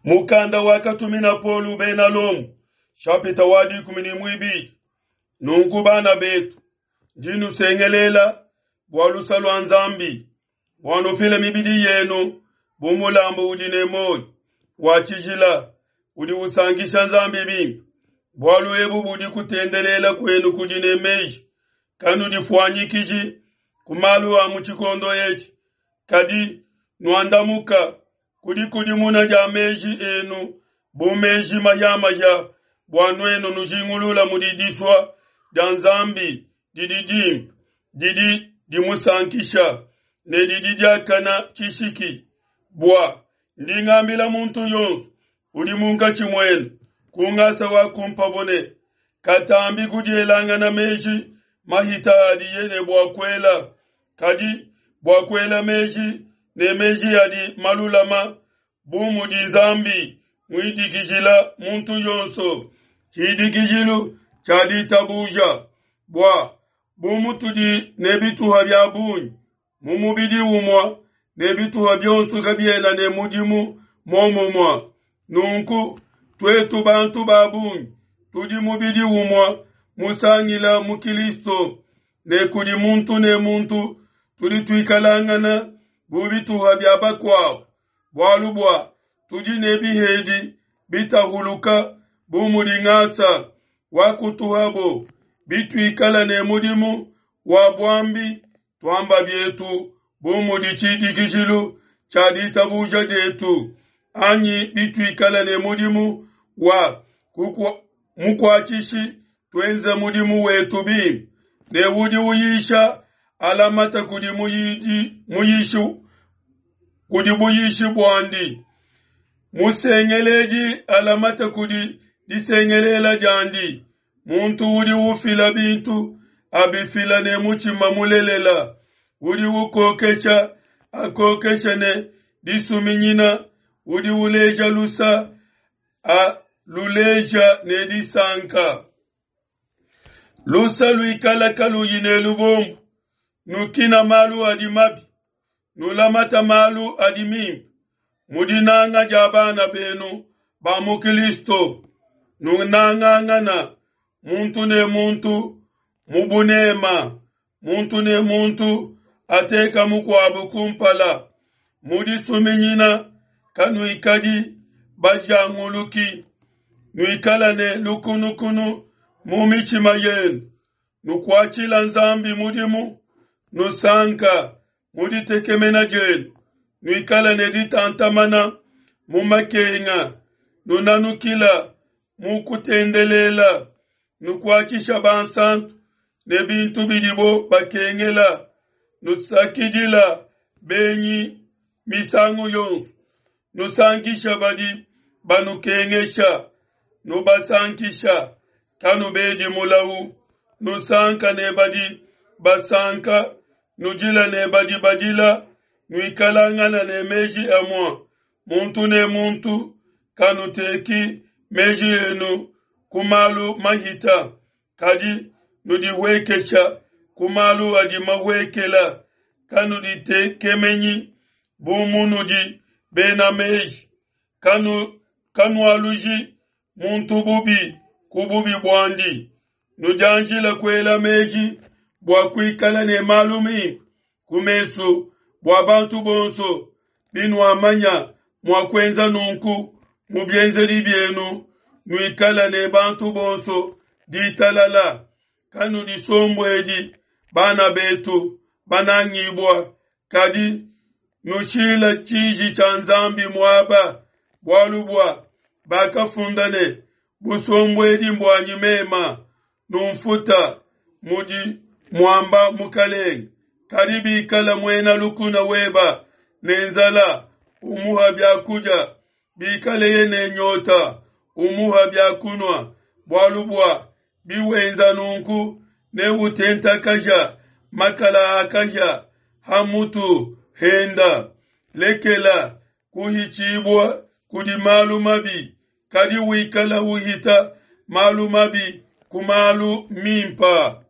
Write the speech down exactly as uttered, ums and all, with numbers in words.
Mukanda wakatumina Paulo bena Lomo, shapita wa dikumi ne muibidi. Nunku bana betu, ndi nusengelela bua lusa lua Nzambi, bua nufile mibidi yenu bu mulambu udi ne muoyo, wa tshijila, udi usankisha Nzambi bimpe. Bualu ebu budi kutendelela kuenu kudi ne meji. Kanudifuanyikiji ku malu a mu tshikondo etshi, kadi nuandamuka ku dikudimuna dia meji enu bu meji mahiamahia, bua nuenu nujingulula mudi disua dia Nzambi didi dimpe, didi dimusankisha ne didi diakana tshishiki. Bua ndi ngambila muntu yonso udi munkatshi muenu ku ngasa wakumpabo ne, katambi kudielangana meji mahita adiye ne bua kuela, kadi bua kuela meji ne meji adi malulama, bu mudi Nzambi muidikijila muntu yonso tshidikijilu tshia ditabuja. Bua bu mutudi ne bituha bia bungi mu mubidi umue, ne bituha bionso kabiena ne mudimu muomumue, nunku tuetu bantu ba bungi tudi mubidi umue musangila mu Kristo, ne kudi muntu ne muntu tudi tuikalangana bu bituha bia bakuabo, bualu bua tudi ne bihedi bitahuluka bu mudi ngasa wakutuhabo. Bituikala ne mudimu wa buambi, tuamba bietu bu mudi tshidikijilu tshia ditabuja dietu, anyi bituikala ne mudimu wa mukuatshishi, tuenze mudimu wetu bimpe. Ne udi uyisha alamata kudi muyidi muyishi kudi buyishi buandi, musengeledi alamata kudi disengelela diandi. Muntu udi ufila bintu abifila ne mutshima mulelela, udi ukokesha akokesha ne disuminyina, udi uleja lusa aluleja ne disanka. Lusa luikala kaluyi ne lubombo, nukina malu adi mabi, nulamata malu adi mimpe. Mu dinanga dia bana benu ba mu Kristo, nunangangana muntu ne muntu mu bunema, muntu ne muntu ateka mukuabu kumpala. Mu disuminyina kanuikadi bajanguluki, nuikala ne lukunukunu mu mitshima yenu, nukuatshila Nzambi mudimu, nusanka mu ditekemena dienu, nuikala ne ditantamana mu makenga, nunanukila mu kutendelela, nukuatshisha bansantu ne bintu bidibo bakengela, nusakidila benyi misangu yonso, nusankisha badi banukengesha, nubasankisha, kanubedi mulau, nusanka ne badi basanka, nudila ne badi badila, nuikalangana ne meji amue, muntu ne muntu kanuteki meji enu ku malu mahita, kadi nudihuekesha ku malu adi mahuekela. Kanuditekemenyi bu munudi bena meji, kanu kanualuji muntu bubi ku bubi buandi, nudianjila kuela meji bua kuikala ne malu mimpe ku mesu bua bantu bonso. Binuamanya mua kuenza nunku mu bienzedi bienu, nuikala ne bantu bonso ditalala. Kanudisombuedi bana betu banangibua, kadi nushila tshiji tshia Nzambi muaba, bualu bua bakafunda ne, busombuedi mbuanyi mema, numfuta mudi muamba Mukalenge. Kadi bikala muena lukuna weba ne nzala, umuha biakudia, bikaleye ne nyota, umuha biakunua, bualu bua biwenza nunku neutentakaja makala a kahia ha mutu henda. Lekela kuhitshibua kudi malu mabi, kadi wikala uhita malu mabi ku malu mimpa.